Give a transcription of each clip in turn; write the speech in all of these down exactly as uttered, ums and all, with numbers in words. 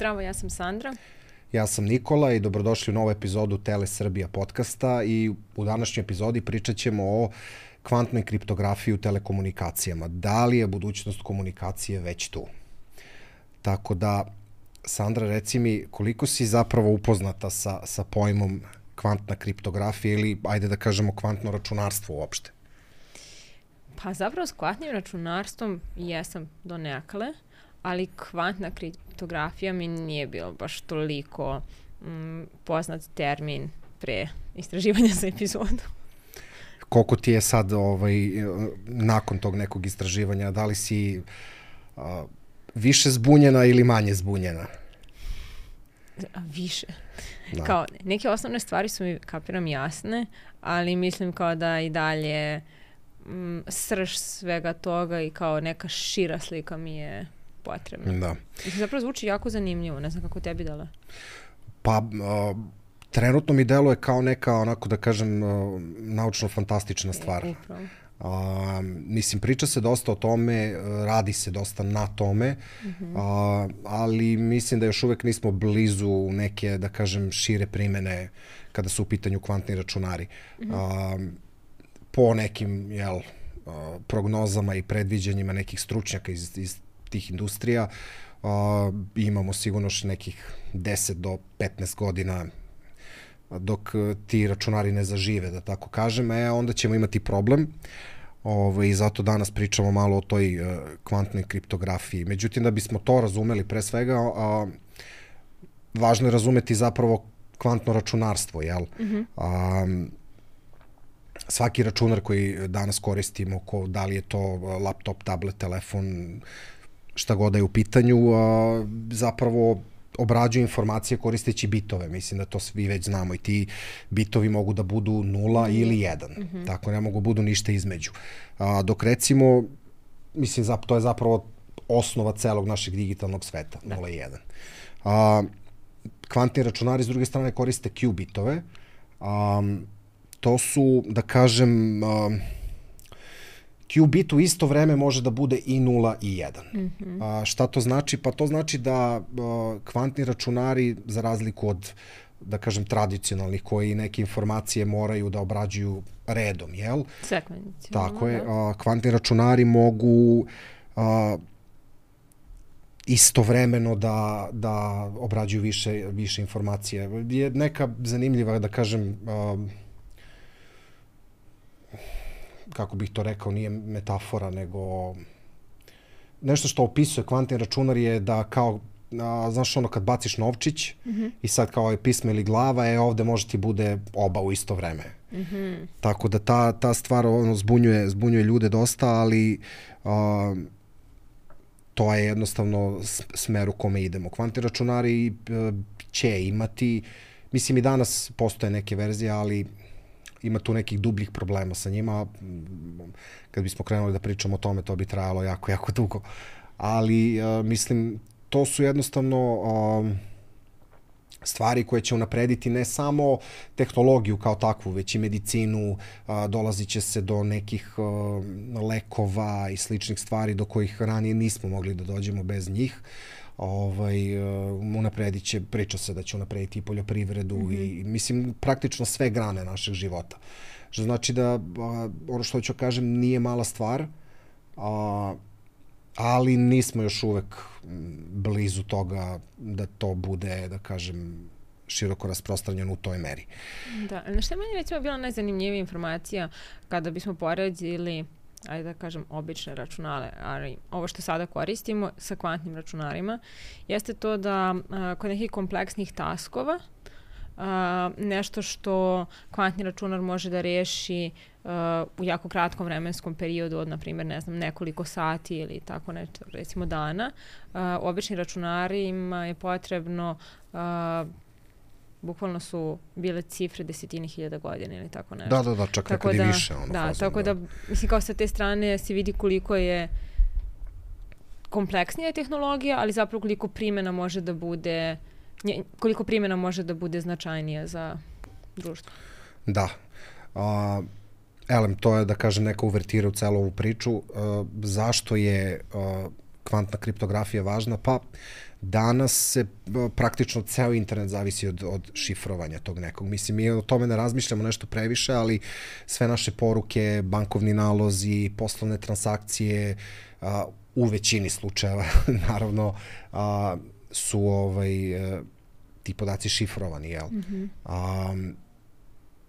Zdravo, ja sam Sandra. Ja sam Nikola i dobrodošli u novu epizodu Tele Srbija podcasta i u današnjoj epizodi pričat ćemo o kvantnoj kriptografiji u telekomunikacijama. Da li je budućnost komunikacije već tu? Tako da, Sandra, reci mi koliko si zapravo upoznata sa, sa pojmom kvantna kriptografija ili, ajde da kažemo, kvantno računarstvo uopšte? Pa zapravo s kvantnim računarstvom jesam do nekale, ali kvantna kriptografija mi nije bilo baš toliko mm, poznat termin pre istraživanja za epizodu. Koliko ti je sad ovaj, nakon tog nekog istraživanja, da li si a, više zbunjena ili manje zbunjena? A, više. Da. Kao, neke osnovne stvari su mi, kapiram, jasne, ali mislim kao da i dalje mm, srž svega toga i kao neka šira slika mi je potrebna. Da. I zapravo zvuči jako zanimljivo, ne znam kako tebi dala. Pa, uh, trenutno mi deluje kao neka, onako da kažem, uh, naučno-fantastična stvar. E, upravo. Uh, mislim, priča se dosta o tome, radi se dosta na tome, mm-hmm. uh, ali mislim da još uvek nismo blizu neke, da kažem, šire primene kada su u pitanju kvantni računari. Mm-hmm. Uh, po nekim, jel, uh, prognozama i predviđanjima nekih stručnjaka iz, iz tih industrija, uh, imamo sigurno još nekih deset do petnaest godina dok ti računari ne zažive, da tako kažem, e, onda ćemo imati problem. Ove, I zato danas pričamo malo o toj uh, kvantnoj kriptografiji. Međutim, da bismo to razumeli, pre svega, uh, važno je razumeti zapravo kvantno računarstvo, jel? Mm-hmm. Um, svaki računar koji danas koristimo, ko, da li je to laptop, tablet, telefon, šta god da je u pitanju, uh, zapravo obrađuje informacije koristeći bitove. Mislim da to svi već znamo i ti bitovi mogu da budu nula mm-hmm. ili jedan. Mm-hmm. Tako ne mogu budu ništa između. A, dok recimo, mislim, zap, to je zapravo osnova celog našeg digitalnog sveta, da. nula i jedan. A, kvantni računari s druge strane koriste Q bitove. A, to su, da kažem, a, Q bit u isto vreme može da bude i nula i jedan. Mm-hmm. A, šta to znači? Pa to znači da a, kvantni računari, za razliku od, da kažem, tradicionalnih, koji neke informacije moraju da obrađuju redom, jel? Sekvencionalno. Tako je. A, kvantni računari mogu a, istovremeno da, da obrađuju više, više informacije. Je neka zanimljiva, da kažem, a, kako bih to rekao, nije metafora, nego nešto što opisuje kvantni računar je da kao, a, znaš ono kad baciš novčić mm-hmm. i sad kao je pismo ili glava, e ovde može ti bude oba u isto vreme. Mm-hmm. Tako da ta, ta stvar ono, zbunjuje, zbunjuje ljude dosta, ali a, to je jednostavno smer u kome idemo. Kvantni računari a, će imati, mislim i danas postoje neke verzije, ali ima tu nekih dubljih problema sa njima. Kad bismo krenuli da pričamo o tome, to bi trajalo jako, jako dugo. Ali, uh, mislim, to su jednostavno uh, stvari koje će unaprediti ne samo tehnologiju kao takvu, već i medicinu, uh, dolazit će se do nekih uh, lekova i sličnih stvari do kojih ranije nismo mogli da dođemo bez njih. Ovaj, uh, unapredit će, priča se da će unaprediti i poljoprivredu mm-hmm. i, mislim, praktično sve grane našeg života. Što znači da, uh, ono što ću kažem, nije mala stvar, uh, ali nismo još uvek blizu toga da to bude, da kažem, široko rasprostranjeno u toj meri. Da, na što je meni recimo bila najzanimljivija informacija kada bismo poredili, ajde da kažem, obične računale, ali ovo što sada koristimo sa kvantnim računarima, jeste to da a, kod nekih kompleksnih taskova a, nešto što kvantni računar može da reši a, u jako kratkom vremenskom periodu od, na primjer, ne znam, nekoliko sati ili tako nešto, recimo dana, a, obični računarima je potrebno a, bukvalno su bile cifre desetine hiljada godina ili tako nešto. Da, da, da, čak nekad i više. Ono, da, fazom, tako da, mislim, kao sa te strane se vidi koliko je kompleksnija tehnologija, ali zapravo koliko primjena može da bude, koliko primjena može da bude značajnija za društvo. Da. A, elem, to je, da kažem, neka uvertira u celu ovu priču. A, zašto je a, kvantna kriptografija važna? Pa, Danas se praktično ceo internet zavisi od, od šifrovanja tog nekog. Mislim, mi o tome ne razmišljamo nešto previše, ali sve naše poruke, bankovni nalozi, poslovne transakcije, a, u većini slučajeva, naravno, a, su ovaj, ti podaci šifrovani, jel? Mm-hmm. A,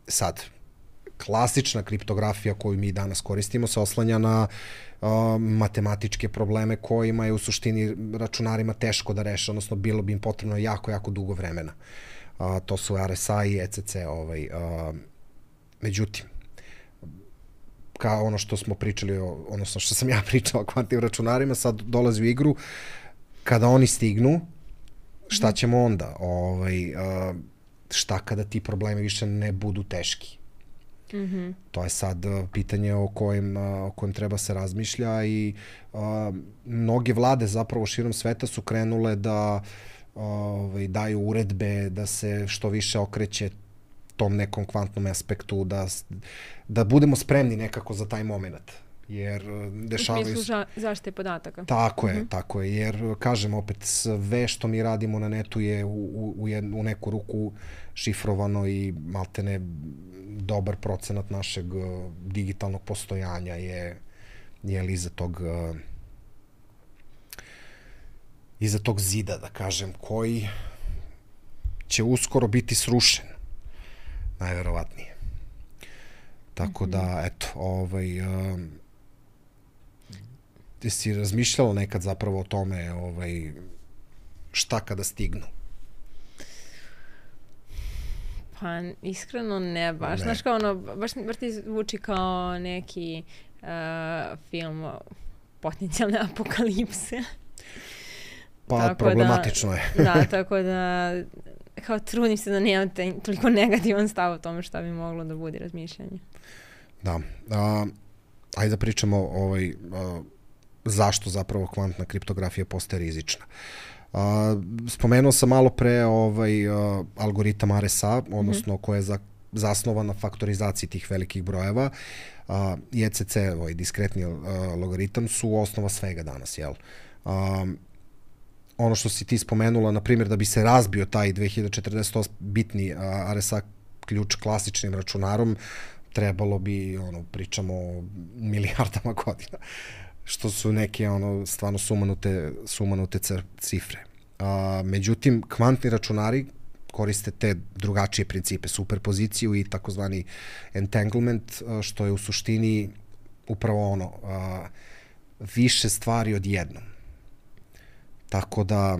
sad, klasična kriptografija koju mi danas koristimo se oslanja na uh, matematičke probleme kojima je u suštini računarima teško da reše, odnosno bilo bi im potrebno jako, jako dugo vremena. Uh, to su R S A i E C C. Ovaj, uh, međutim, kao ono što smo pričali, o, odnosno što sam ja pričao o kvantnim računarima, sad dolazi u igru, kada oni stignu, šta ćemo onda? Ovaj, uh, šta kada ti problemi više ne budu teški? Mm-hmm. To je sad uh, pitanje o kojem, uh, o kojem treba se razmišlja i uh, mnoge vlade zapravo širom sveta su krenule da uh, ovaj, daju uredbe, da se što više okreće tom nekom kvantnom aspektu, da, da budemo spremni nekako za taj moment. Jer dešavaju... U smislu zaštite podataka. Tako je, mm-hmm. tako je. Jer, kažem, opet, sve što mi radimo na netu je u, u, u, jednu, u neku ruku šifrovano i maltene dobar procenat našeg uh, digitalnog postojanja je, je li iza tog uh, iza tog zida, da kažem, koji će uskoro biti srušen. Najverovatnije. Tako mm-hmm. da, eto, ovaj... Uh, ti si razmišljala nekad zapravo o tome ovaj, šta kada stignu? Pa, iskreno ne baš. Ne. Znaš kao ono, baš, baš ti zvuči kao neki uh, film potencijalne apokalipse. Pa, tako problematično da, je. Da, tako da kao trudim se da nemam te, toliko negativan stav o tome šta bi moglo da bude razmišljanje. Da. A, ajde da pričamo ovaj, a, zašto zapravo kvantna kriptografija postaje rizična. Uh, spomenuo sam malo pre ovaj, uh, algoritam R S A, odnosno mm-hmm. koja je za, zasnovan na faktorizaciji tih velikih brojeva. Uh, I E C C, ovaj diskretni uh, logaritam, su osnova svega danas, jel? Uh, ono što si ti spomenula, na primjer, da bi se razbio taj dve hiljade četrdeset osam bitni uh, R S A ključ klasičnim računarom, trebalo bi, ono, pričamo o milijardama godina, što su neke ono stvarno sumanute, sumanute cifre. A, međutim, kvantni računari koriste te drugačije principe, superpoziciju i takozvani entanglement, a, što je u suštini upravo ono, a, više stvari odjednom. Tako da,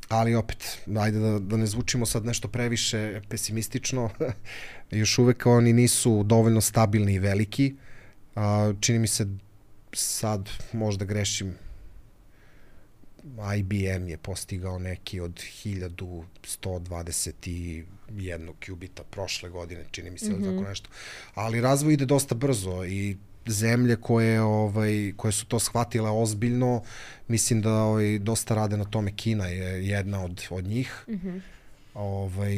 ali opet, ajde da, da ne zvučimo sad nešto previše pesimistično, još uvek oni nisu dovoljno stabilni i veliki. A, čini mi se sad možda grešim, I B M je postigao neki od hiljadu sto dvadeset jedan qubita prošle godine, čini mi se, mm-hmm. tako nešto. Ali razvoj ide dosta brzo i zemlje koje, ovaj, koje su to shvatile ozbiljno, mislim da ovaj, dosta rade na tome. Kina je jedna od, od njih. Mm-hmm. Ovaj,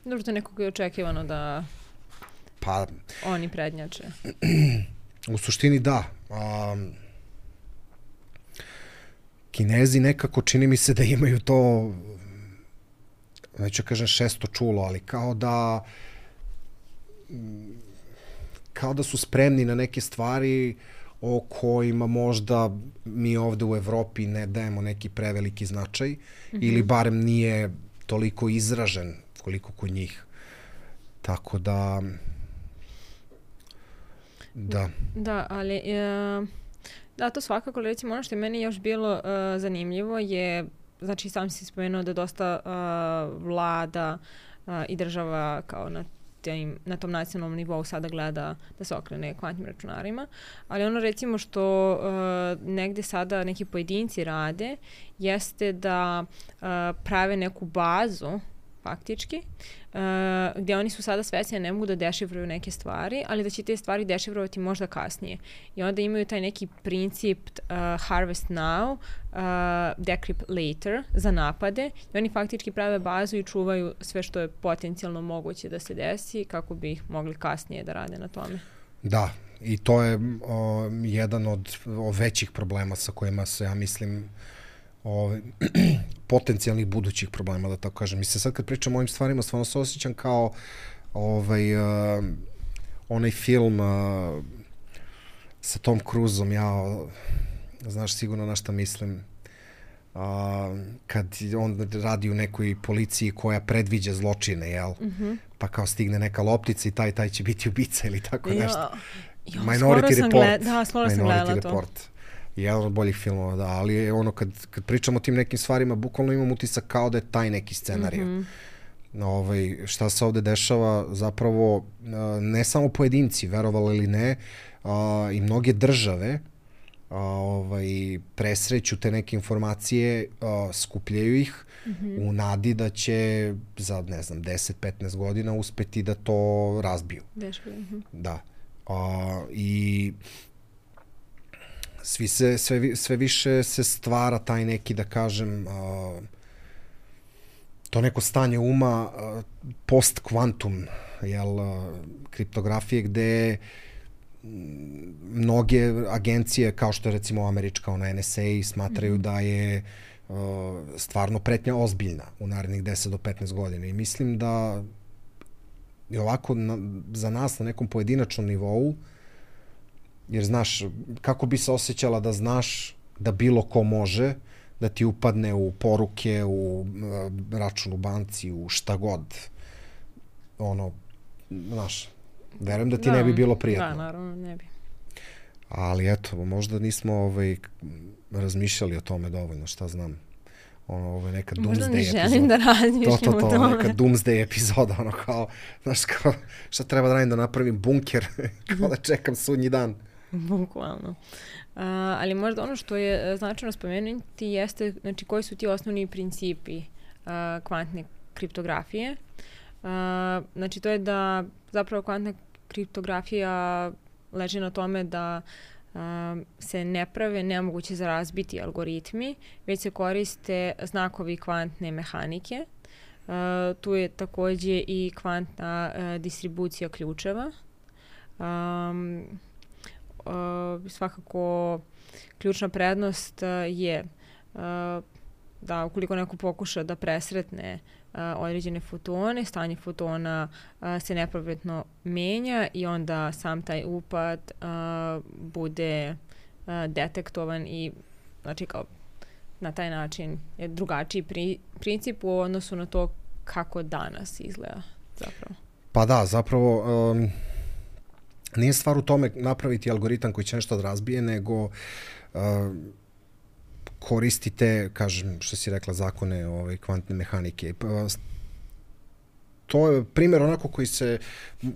Dobro, to nekako je očekivano da pa, oni prednjače. U suštini da. Um, Kinezi nekako čini mi se da imaju to, neću kažem šesto čulo, ali kao da kao da su spremni na neke stvari o kojima možda mi ovde u Evropi ne dajemo neki preveliki značaj, mm-hmm. ili barem nije toliko izražen koliko kod njih. Tako da da. Da, ali e, da, to svakako, recimo ono što je meni još bilo e, zanimljivo je, znači sam si spomenuo da dosta e, vlada e, i država kao na Tim, na tom nacionalnom nivou sada gleda da se okrene kvantnim računarima, ali ono recimo što uh, negde sada neki pojedinci rade jeste da uh, prave neku bazu faktički, uh, gdje oni su sada svesni da ne mogu da dešifruju neke stvari, ali da će te stvari dešifrovati možda kasnije. I onda imaju taj neki princip uh, harvest now, uh, decrypt later za napade. I oni faktički prave bazu i čuvaju sve što je potencijalno moguće da se desi kako bi ih mogli kasnije da rade na tome. Da, i to je o, jedan od o, većih problema sa kojima se, ja mislim, ove, potencijalnih budućih problema, da tako kažem. Mislim, sad kad pričam o ovim stvarima, stvarno se osjećam kao ovaj, uh, onaj film uh, sa Tom Cruiseom, ja, znaš sigurno na šta mislim, uh, kad on radi u nekoj policiji koja predviđa zločine, jel? Mm-hmm. Pa kao stigne neka loptica i taj, taj će biti ubica ili tako nešto. Jo, Minority Report. Gled, da, skoro sam gledala to. Report. Jedan od boljih filmova, da, ali je ono kad, kad pričamo o tim nekim stvarima, bukvalno imam utisak kao da je taj neki scenarij. Mm-hmm. Ovaj, šta se ovde dešava, zapravo ne samo pojedinci, verovali ili ne, a, i mnoge države a, ovaj, presreću te neke informacije, a, skupljaju ih mm-hmm. u nadi da će za, ne znam, deset do petnaest godina uspeti da to razbiju. Dešava. Mm-hmm. Da. A, I svi se, sve, sve više se stvara taj neki, da kažem, a, to neko stanje uma post-kvantum, jel, kriptografije, gde mnoge agencije, kao što je recimo američka, ona N S A, smatraju mm-hmm. da je uh, stvarno pretnja ozbiljna u narednih deset do petnaest godina. I mislim da je ovako na, za nas na nekom pojedinačnom nivou, jer znaš, kako bi se osjećala da znaš da bilo ko može da ti upadne u poruke, u uh, račun u banci, u šta god. Ono, znaš, verujem da ti da, ne bi bilo prijatno. Da, naravno, ne bi. Ali eto, možda nismo ovaj, razmišljali o tome dovoljno, šta znam. Ono, ovo je neka doomsday epizoda. Možda ne želim da razmišljam to, to, to, o tome. Neka doomsday epizoda, ono kao, znaš, kao, šta treba da radim da napravim bunker, kao da čekam sudnji dan. Bukvalno. Uh, ali možda ono što je značajno spomenuti jeste, znači, koji su ti osnovni principi uh, kvantne kriptografije. Uh, znači, to je da zapravo kvantna kriptografija leži na tome da uh, se ne prave nemoguće za razbiti algoritmi, već se koriste znakovi kvantne mehanike. Uh, tu je takođe i kvantna uh, distribucija ključeva. Um, Uh, svakako ključna prednost uh, je uh, da ukoliko neko pokuša da presretne uh, određene fotone, stanje fotona uh, se nepravedno menja i onda sam taj upad uh, bude uh, detektovan i znači kao na taj način je drugačiji pri, princip u odnosu na to kako danas izgleda zapravo. Pa da, zapravo um... nije stvar u tome napraviti algoritam koji će nešto da razbije, nego uh, koristite, kažem, što si rekla, zakone ovaj, kvantne mehanike. To je primjer onako koji se,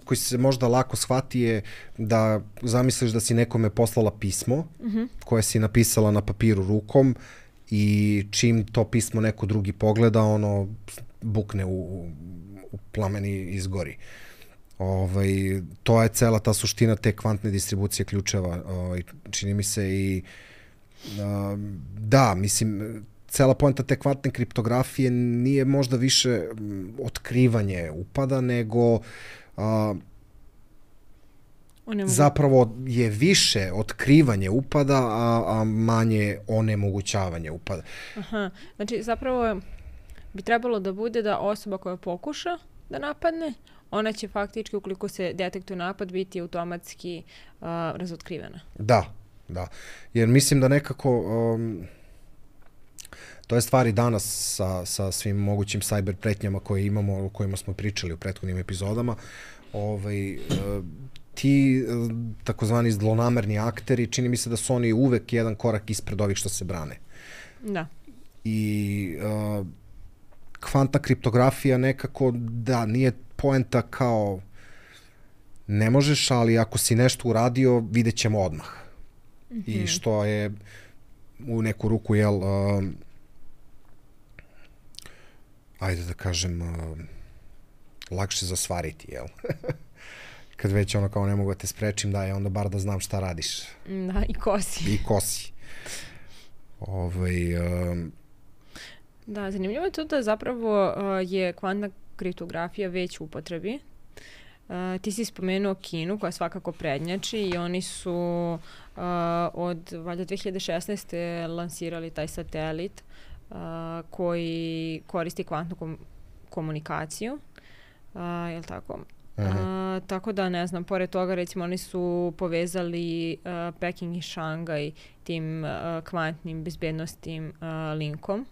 koji se možda lako shvati je da zamisliš da si nekome poslala pismo mm-hmm. koje si napisala na papiru rukom i čim to pismo neko drugi pogleda, ono bukne u, u plamen i izgori. Ovaj, to je cela ta suština te kvantne distribucije ključeva, ovaj, čini mi se i uh, da, mislim, cela poenta te kvantne kriptografije nije možda više otkrivanje upada, nego uh, zapravo je više otkrivanje upada, a, a manje onemogućavanje upada. Aha, znači zapravo bi trebalo da bude da osoba koja pokuša da napadne, ona će faktički, ukoliko se detektuje napad, biti automatski uh, razotkrivena. Da, da. Jer mislim da nekako, um, to je stvari danas sa, sa svim mogućim cyber pretnjama koje imamo, o kojima smo pričali u prethodnim epizodama, ovaj, uh, ti uh, takozvani zlonamerni akteri, čini mi se da su oni uvek jedan korak ispred ovih što se brane. Da. I uh, kvantna kriptografija nekako, da, nije poenta kao ne možeš, ali ako si nešto uradio, vidjet ćemo odmah. Mm-hmm. I što je u neku ruku, jel, uh, ajde da kažem, uh, lakše zasvariti, jel? Kad već ono kao ne mogu da te sprečim, da je onda bar da znam šta radiš. Da, i ko si. I ko si. Ovaj, uh, da, zanimljivo je to da zapravo uh, je kvantna kriptografija već u upotrebi. Uh, ti si spomenuo Kinu koja svakako prednjači i oni su uh, od valjda dve hiljade šesnaeste lansirali taj satelit uh, koji koristi kvantnu kom komunikaciju. Uh, je li tako? Uh-huh. Uh, tako da ne znam, pored toga recimo oni su povezali uh, Peking i Šangaj tim uh, kvantnim bezbednostnim uh, linkom.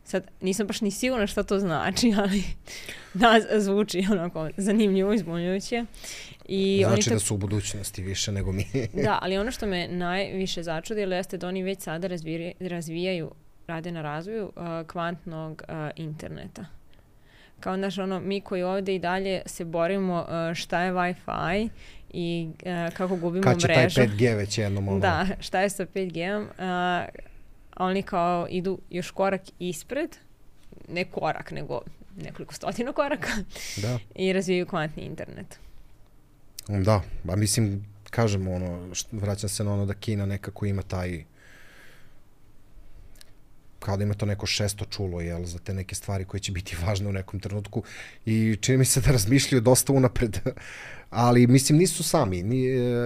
Sad nisam baš ni sigurna šta to znači, ali da, zvuči onako zanimljivo, izbunjujuće. I znači oni da su u budućnosti više nego mi. Da, ali ono što me najviše začudilo jeste da oni već sada razvijaju, razvijaju rade na razvoju uh, kvantnog uh, interneta. Kao naš ono, mi koji ovdje i dalje se borimo uh, šta je Wi-Fi i uh, kako gubimo mrežu. Kad će taj pet G već jednom ono? Da, šta je sa pet G-om. Uh, oni kao idu još korak ispred, ne korak, nego nekoliko stotina koraka da. I razvijaju kvantni internet. Da, a mislim, kažem ono, vraćam se na ono da Kina nekako ima taj, kao da ima to neko šesto čulo, jel, za te neke stvari koje će biti važne u nekom trenutku i čini mi se da razmišljaju dosta unapred, ali mislim nisu sami, Ni,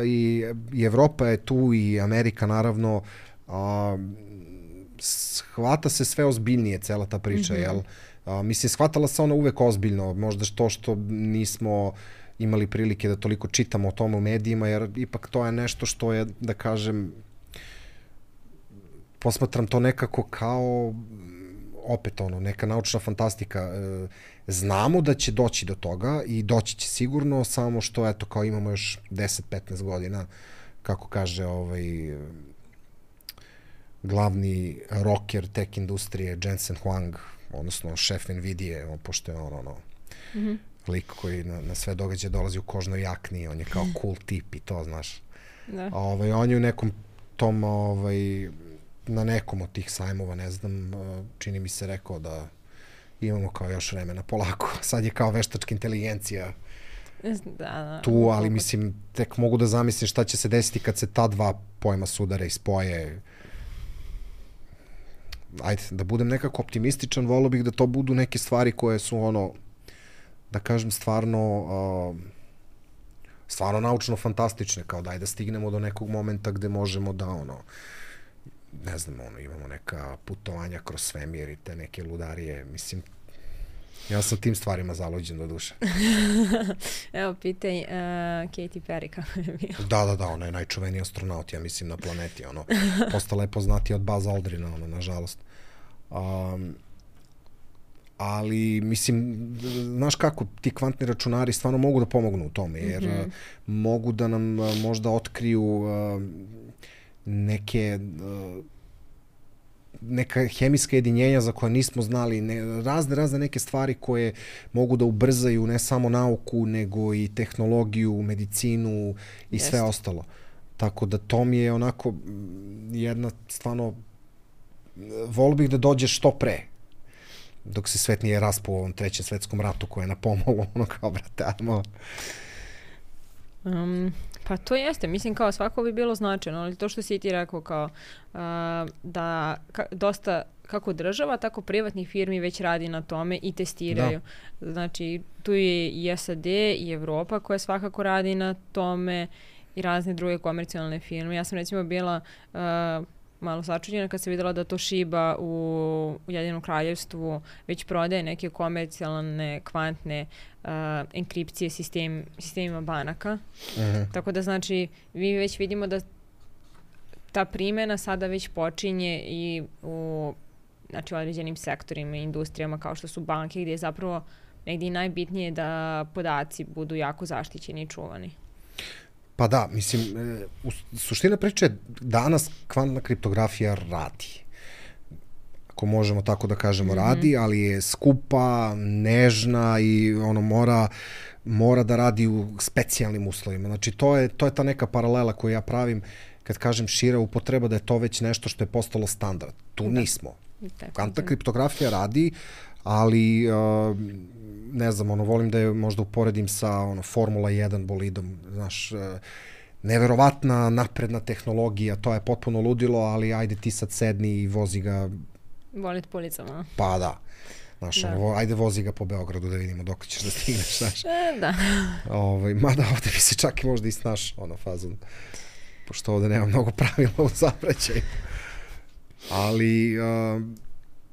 i, i Evropa je tu i Amerika naravno, a, shvata se sve ozbiljnije cela ta priča, mm-hmm. jel? A, mislim, shvatala se ona uvek ozbiljno, možda to što nismo imali prilike da toliko čitamo o tome u medijima, jer ipak to je nešto što je, da kažem, posmatram to nekako kao, opet ono, neka naučna fantastika. Znamo da će doći do toga i doći će sigurno, samo što, eto, kao imamo još deset do petnaest godina, kako kaže ovaj glavni rocker tech industrije Jensen Huang, odnosno šef Nvidije, on, pošto je on ono, mm-hmm. lik koji na, na sve događaje dolazi u kožnoj jakni, on je kao cool tip i to, znaš. Da. Ovaj, on je u nekom tom, ovaj, na nekom od tih sajmova, ne znam, čini mi se rekao da imamo kao još vremena polako. Sad je kao veštačka inteligencija da, da, tu, ali mislim, tek mogu da zamislim šta će se desiti kad se ta dva pojma sudare i spoje. Ajde, da budem nekako optimističan, volio bih da to budu neke stvari koje su ono, da kažem, stvarno uh, stvarno naučno fantastične, kao daj da stignemo do nekog momenta gde možemo da ono, ne znam, ono, imamo neka putovanja kroz svemir i te neke ludarije, mislim, ja sam tim stvarima zaluđen do duše. Evo, pitaj uh, Katy Perry kako je bio. Da, da, da, ona je najčuveniji astronaut, ja mislim, na planeti, ono, postala je poznatija od Buzz Aldrina, ono, nažalost. Um, ali, mislim, znaš kako, ti kvantni računari stvarno mogu da pomognu u tome, jer mm-hmm. mogu da nam možda otkriju uh, neke uh, neka hemijska jedinjenja za koje nismo znali, ne, razne, razne neke stvari koje mogu da ubrzaju ne samo nauku, nego i tehnologiju, medicinu i Jeste. sve ostalo. Tako da to mi je onako jedna stvarno, volio bih da dođe što pre, dok se svet nije raspao u ovom trećem svetskom ratu koje je na pomolu, ono kao, brate, ajmo. Um, pa to jeste, mislim kao svako bi bilo značajno, ali to što si ti rekao kao uh, da ka, dosta kako država, tako privatnih firmi već radi na tome i testiraju. Da. Znači tu je i S A D i Evropa koja svakako radi na tome i razne druge komercijalne firme. Ja sam recimo bila uh, malo začuđena kad sam videla da Toshiba u Ujedinjenom kraljevstvu već prodaje neke komercijalne kvantne uh, enkripcije sistem, sistemima banaka. Uh-huh. Tako da znači mi već vidimo da ta primjena sada već počinje i u znači, određenim sektorima i industrijama kao što su banke gdje je zapravo negdje najbitnije da podaci budu jako zaštićeni i čuvani. Pa da, mislim, u suština priče danas kvantna kriptografija radi. Ako možemo tako da kažemo, mm-hmm. radi, ali je skupa, nežna i ono mora, mora da radi u specijalnim uslovima. Znači, to je, to je ta neka paralela koju ja pravim kad kažem šira upotreba, da je to već nešto što je postalo standard. Tu da. nismo. Kvantna kriptografija radi, ali uh, ne znam, ono, volim da je možda uporedim sa ono, Formula jedan bolidom, znaš, uh, neverovatna napredna tehnologija, to je potpuno ludilo, ali ajde ti sad sedni i vozi ga. Volit po ulicama. Pa da. Znaš, da. ono, ajde vozi ga po Beogradu da vidimo dok ćeš da stigneš, znaš. E, da. Ovaj, mada ovde bi se čak i možda i snaš, ono, fazon. Pošto ovde nema mnogo pravila u saobraćaju. Ali, uh,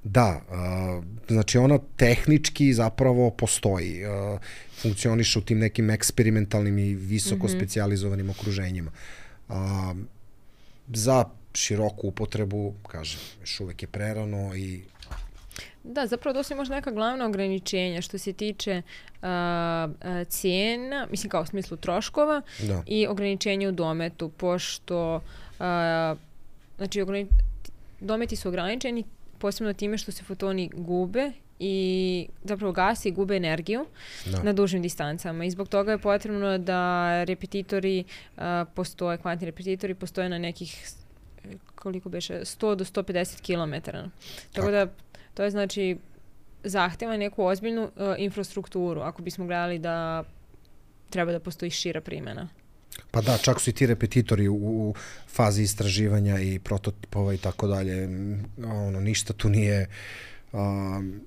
da, uh, znači ona tehnički zapravo postoji. Uh, funkcioniše u tim nekim eksperimentalnim i visoko mm-hmm. specijalizovanim okruženjima. Uh, za široku upotrebu, kažem, još uvek je prerano i da, zapravo to su možda neka glavna ograničenja što se tiče uh, uh, cijena, mislim kao u smislu troškova da. I ograničenja u dometu, pošto uh, znači ograni, dometi su ograničeni posebno time što se fotoni gube i zapravo gasi i gube energiju da. Na dužim distancama i zbog toga je potrebno da repetitori uh, postoje, kvantni repetitori postoje na nekih koliko beše, sto do sto pedeset kilometara. Tako da to je znači zahteva neku ozbiljnu uh, infrastrukturu ako bismo gledali da treba da postoji šira primjena. Pa da, čak su i ti repetitori u, u fazi istraživanja i prototipova i tako dalje. Ono, ništa tu nije um,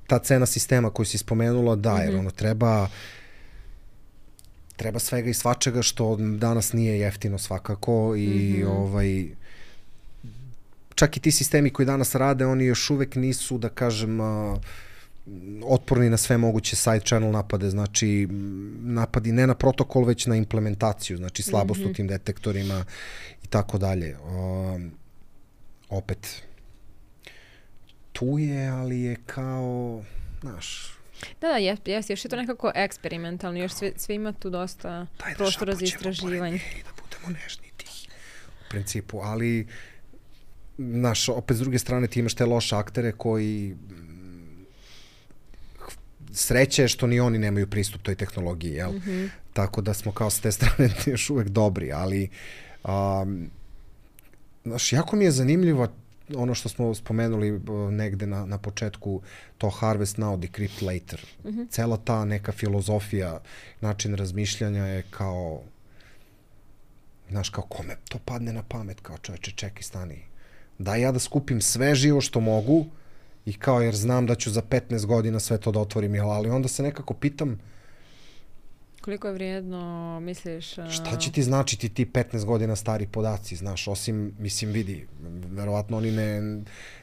ta cena sistema koju si spomenula, da, jer ono treba treba svega i svačega što danas nije jeftino svakako i mm-hmm. ovaj čak i ti sistemi koji danas rade, oni još uvek nisu, da kažem, uh, otporni na sve moguće side channel napade, znači napadi ne na protokol, već na implementaciju, znači slabost mm-hmm. u tim detektorima i tako dalje. Um, opet, tu je, ali je kao, znaš... Da, da, jes, jes, još je to nekako eksperimentalno, još sve, sve ima tu dosta prostora za istraživanje. I da budemo nežni tihi, u principu, ali znaš, opet s druge strane ti imaš te loše aktere koji sreće je što ni oni nemaju pristup toj tehnologiji, jel? Mm-hmm. Tako da smo kao s te strane još uvek dobri, ali um, znaš, jako mi je zanimljivo ono što smo spomenuli uh, negde na, na početku, to harvest now, decrypt later. Mm-hmm. Cela ta neka filozofija, način razmišljanja je kao, znaš, kao kome to padne na pamet, kao čoveče, čekaj, stani. Da ja da skupim sve živo što mogu i kao jer znam da ću za petnaest godina sve to da otvorim, ali onda se nekako pitam koliko je vrijedno, misliš? A... Šta će ti značiti ti petnaest godina stari podaci, znaš, osim, mislim, vidi, verovatno oni ne,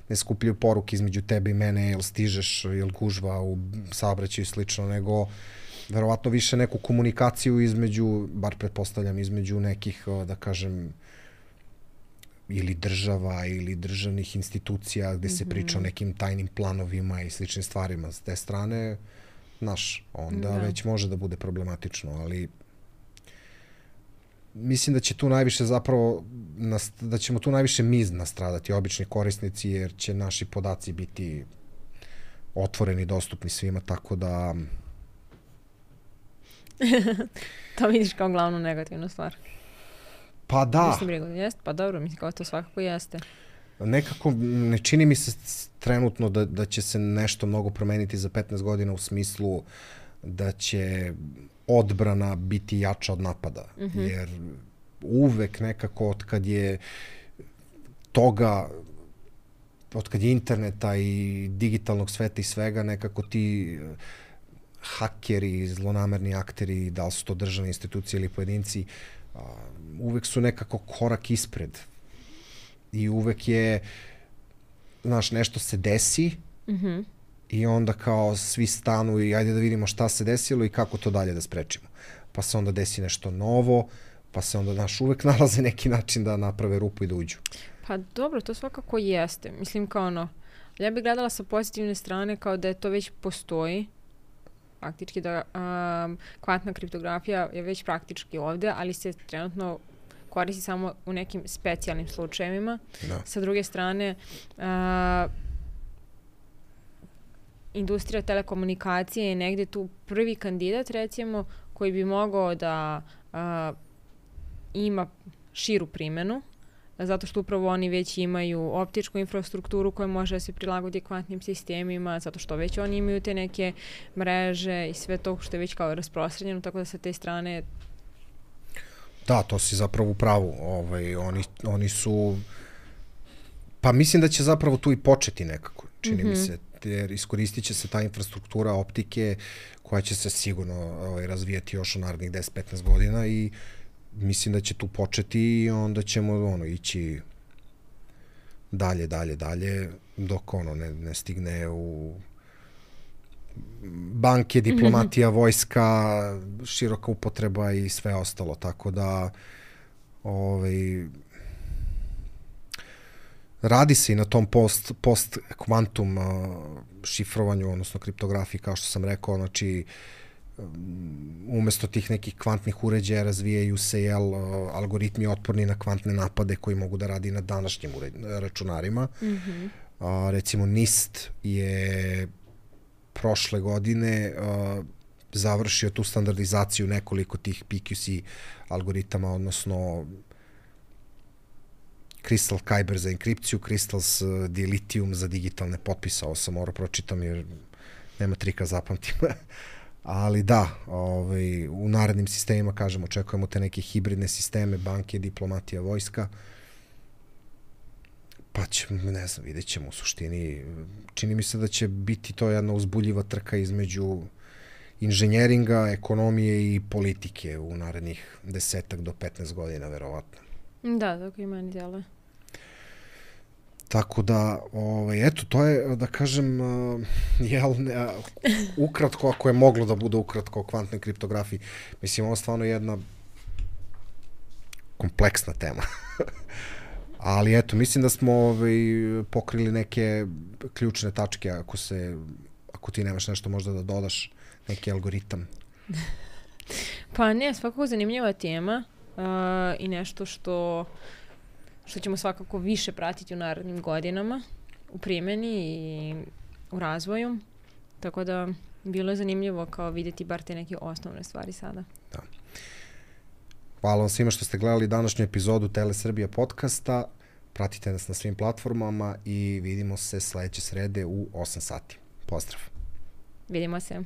ne skupljaju poruke između tebe i mene, jel stižeš, jel gužva u saobraćaju i slično, nego verovatno više neku komunikaciju između, bar pretpostavljam, između nekih, da kažem, ili država ili državnih institucija gde se mm-hmm. priča o nekim tajnim planovima i sličnim stvarima. S te strane, znaš, onda da. Već može da bude problematično, ali mislim da će tu najviše zapravo, da ćemo tu najviše mi nastradati, obični korisnici, jer će naši podaci biti otvoreni, dostupni svima, tako da... To vidiš kao glavnu negativnu stvar. Pa da. Mislim, brigu, jest? Pa dobro, mislim kao to svakako jeste. Nekako ne čini mi se trenutno da, da će se nešto mnogo promeniti za petnaest godina u smislu da će odbrana biti jača od napada. Mm-hmm. Jer uvek nekako od kad je toga, od kad je interneta i digitalnog sveta i svega, nekako ti hakeri, zlonamerni akteri, da li su to državne institucije ili pojedinci, uvek su nekako korak ispred. I uvek je, znaš, nešto se desi mm-hmm. i onda kao svi stanu i ajde da vidimo šta se desilo i kako to dalje da sprečimo. Pa se onda desi nešto novo, pa se onda, znaš, uvek nalaze neki način da naprave rupu i da uđu. Pa dobro, to svakako jeste. Mislim kao ono, ja bih gledala sa pozitivne strane kao da je to već postoji, faktički da um, kvantna kriptografija je već praktički ovde, ali se trenutno koristi samo u nekim specijalnim slučajevima. Da. Sa druge strane, uh, industrija telekomunikacije je negde tu prvi kandidat, recimo, koji bi mogao da uh, ima širu primjenu, zato što upravo oni već imaju optičku infrastrukturu koja može da se prilagodi kvantnim sistemima, zato što već oni imaju te neke mreže i sve to što je već kao rasprostranjeno, tako da sa te strane... Da, to si zapravo u pravu. Ovaj, oni, oni su... Pa mislim da će zapravo tu i početi nekako. čini mm-hmm. mi se, jer iskoristit će se ta infrastruktura optike koja će se sigurno ovaj, razvijati još u narednih deset do petnaest godina i mislim da će tu početi i onda ćemo ono, ići dalje, dalje, dalje, dok ono ne, ne stigne u banke, diplomatija, mm-hmm. vojska, široka upotreba i sve ostalo, tako da ovaj, radi se i na tom post, post kvantum uh, šifrovanju, odnosno kriptografiji, kao što sam rekao, znači um, umesto tih nekih kvantnih uređaja razvijaju se jel, uh, algoritmi otporni na kvantne napade koji mogu da radi na današnjim uređ, računarima. Mm-hmm. Uh, recimo NIST je prošle godine uh, završio tu standardizaciju nekoliko tih P Q C algoritama, odnosno Crystal Kyber za enkripciju, Crystals Dilithium za digitalne potpise. Ovo sam morao pročitam jer nema trika zapamtim. Ali da, ovaj, u narednim sistemima, kažem, očekujemo te neke hibridne sisteme, banke, diplomatija, vojska. Pa će, ne znam, vidjet ćemo u suštini. Čini mi se da će biti to jedna uzbuljiva trka između inženjeringa, ekonomije i politike u narednih desetak do petnaest godina, verovatno. Da, tako i meni djeluje. Tako da, ovaj, eto, to je, da kažem, jel, ukratko, ako je moglo da bude ukratko o kvantnoj kriptografiji. Mislim, ovo je stvarno jedna kompleksna tema. Ali eto, mislim da smo ovaj, pokrili neke ključne tačke, ako se, ako ti nemaš nešto možda da dodaš, neki algoritam. Pa ne, svakako zanimljiva tema uh, i nešto što, što ćemo svakako više pratiti u narednim godinama u primjeni i u razvoju. Tako da bilo je zanimljivo kao vidjeti bar te neke osnovne stvari sada. Da. Hvala vam svima što ste gledali današnju epizodu Tele Srbija podcasta. Pratite nas na svim platformama i vidimo se sledeće srede u osam sati. Pozdrav! Vidimo se!